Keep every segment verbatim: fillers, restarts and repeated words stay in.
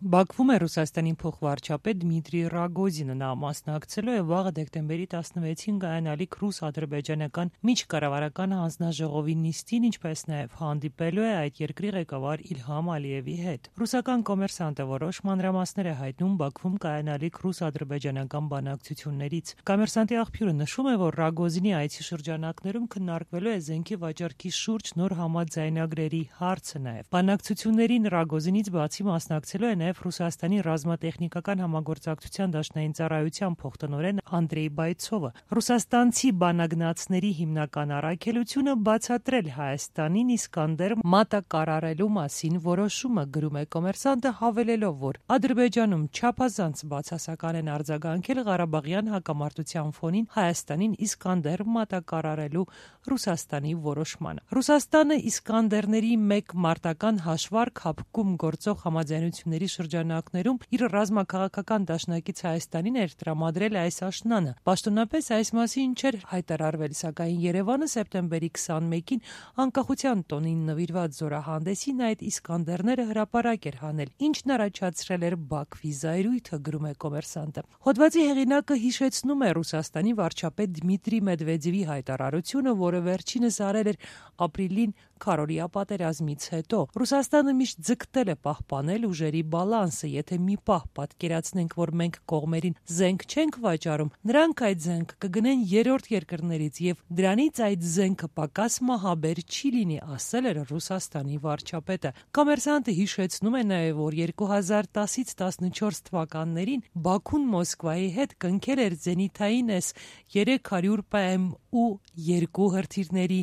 Բաքվում է Ռուսաստանի փոխվարչապետ Դմիտրի Ռագոզինը, նա մասնակցելու է վաղը դեկտեմբերի տասնվեցին կայանալիք ռուս-ադրբեջանական միջկառավարական հանձնաժողովի նիստին, ինչպես նաև հանդիպելու է այդ երկրի ղեկավար Իլհամ Ալիևի հետ։ Ռուսական կոմերսանտը որոշ մանրամասներ է հայտնում Բաքվում կայանալիք ռուս-ադրբեջանական բանակցություններից։ Կոմերսանտի աղբյուրը նշում է, որ Ռագոզինի այցի շրջանակներում քննարկվելու է զենքի վաճառքի շուրջ նոր համաձայնագրերի հարցը նաև։ Բանակցություններին Ռագոզինից բացի մասնակցելու է նաև Ռուսաստանի ռազմատեխնիկական համագործակցության դաշնային ծառայության փոխտնօրեն Անդրեյ Բայցովը։ Ռուսաստանցի բանագնացների հիմնական առաքելությունը բացատրել Հայաստանին Իսկանդեր մատակարարելու մասին որոշումը, գրում է կոմերսանտը, հավելելով, որ Ադրբեջանում չափազանց բացասական են արձագանքել Ղարաբաղյան հակամարտության ֆոնին Հայաստանին Իսկանդեր մատակարարելու Ռուսաստանի որոշմանը։ Ռուսաստանը Իսկանդերների մեկ մարտական հաշվարկ հապկում գործող համաձայնությունների շրջանակներում իր ռազմաքաղաքական դաշնակից Հայաստանին էր տրամադրել այս աշնանը։ Պաշտոնապես այս մասին չէր հայտարարվել, սակայն Երևանը սեպտեմբերի քսանմեկին անկախության տոնին նվիրված զորահանդեսին այդ Իսկանդերները հրապարակ էր հանել, ինչն առաջացրել էր Բաքվի զայրույթը, գրում է կոմերսանտը։ Հոդվածի հեղինակը հիշեցնում է Ռուսաստանի վարչապետ Դմիտրի Մեդվեդևի հայտարարությունը, որը վերջինս արել էր ապրիլին քառօրյա պատերազմից հետո։ Ռուսաստանը միշտ ձգտել է պահպանել ուժերի բալանսը, եթե մի պահ պատկերացնենք, որ մենք կողմերին զենք չենք վաճառում, նրանք այդ զենքը կգնեն երրորդ երկրներից եւ դրանից այդ զենքը պակաս մահաբեր չի լինի, ասել էր Ռուսաստանի վարչապետը։ Կոմերսանտը հիշեցնում է նաեւ, որ երկու հազար տասից տասնչորս թվականներին Բաքուն Մոսկվայի հետ կնքել էր զենիթային էս երեք հարյուր Պ Մ ու երկու հրթիռների,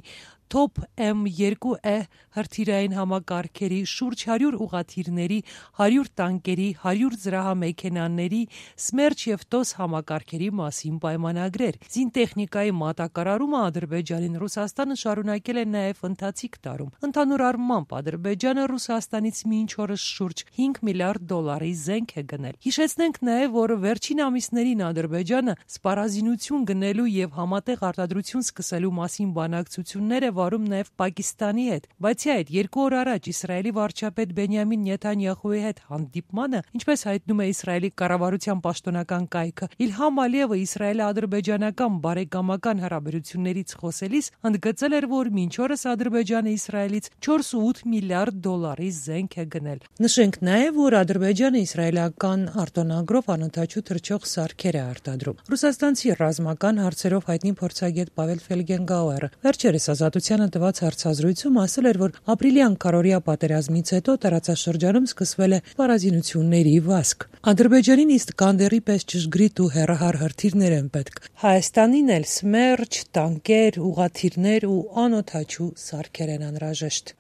Թոփ Մ երկու Է հրթիռային համակարգերի, շուրջ հարյուր ուղղաթիռների, հարյուր տանկերի, հարյուր զրահամեքենաների, Սմերչ եւ Տոս համակարգերի մասին պայմանագրեր։ Զինտեխնիկայի մատակարարումը Ադրբեջանին Ռուսաստանը շարունակել է նաեւ ընթացիկ տարում։ Ընդհանուր առմամբ Ադրբեջանը Ռուսաստանից մինչ օրս շուրջ հինգ միլիարդ դոլարի զենք է գնել։ Հիշեցնենք նաեւ, որ վերջին ամիսներին Ադրբեջանը սպառազինություն գնելու եւ համատեղ արտադրություն սկսելու մասին բանակցություններ է վարում նաև Պակիստանի հետ։ Բացի այդ, երկու օր առաջ Իսրայելի վարչապետ Բենյամին Նեթանյախուի հետ հանդիպմանը, ինչպես հայտնում է Իսրայելի կառավարության պաշտոնական կայքը, Իլհամ Ալիևը իսրայելо-ադրբեջանական բարեկամական հարաբերություններից խոսելիս ընդգծել էր, որ մինչ օրս Ադրբեջանը Իսրայելից չորս ու ութ միլիարդ դոլարի զենք է գնել։ Նշենք նաև, որ Ադրբեջանը իսրայելական արտոնագրով անօդաչու թռչող սարքեր է արտադրում։ Ռուսաստանցի ռազմական հարցերով հայտնի փորձագետ Պավել Ֆելգենգաուերը վերջերս Ազատությանը տված հարցազրույցում ասել էր, որ ապրիլյան քառօրյա պատերազմից հետո տարածաշրջանում սկսվել է սպառազինությունների վազք։ Ադրբեջանին Իսկանդերի պես ճշգրիտ ու հեռահար հրթիռներ են պետք։ Հայաստանին էլ Սմերչ, տանկեր, ուղղաթիռներ ու անօդաչու սարքեր են անհրաժեշտ։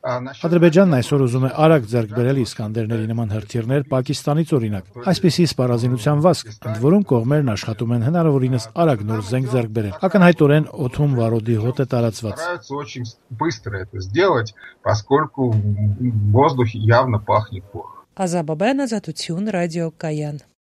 Ադրբեջանն այսօր ուզում է արագ ձեռք բերել Իսկանդերների նման հրթիռներ Պակիստանից օրինակ։ Այսպիսի սպառազինության վազք, ընդ որում կողմերն աշխատում են հնարավորինս արագ նոր զենք ձեռք բերել։ Ակնհայտորեն օդում վարորդի հոտ է տարածված։ Очень быстро это сделать, поскольку в воздухе явно пахнет порох. Ազաբաբյան Ազատություն, Ռադիո Կայան։